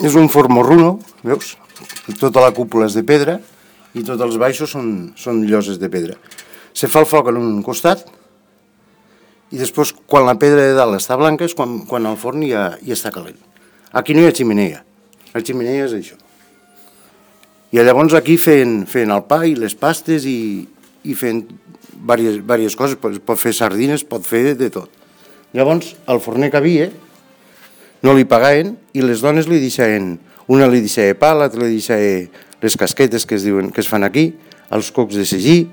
és un formorruno, veus? Tota la cúpula és de pedra i tots els baixos són lloses de pedra. Se fa el foc en un costat i després, quan la pedra de dalt està blanca, és quan el forn ja està calent. Aquí no hi ha xemeneia. La xemeneia és això. I llavors aquí fent el pa i les pastes i fent diverses coses. Pot fer sardines, pot fer de tot. Llavors, el forner que havia no li pagaven i les dones li deixaven, una li deixava pa, l'altra li deixava les casquetes que es fan aquí, els cocs de sagí,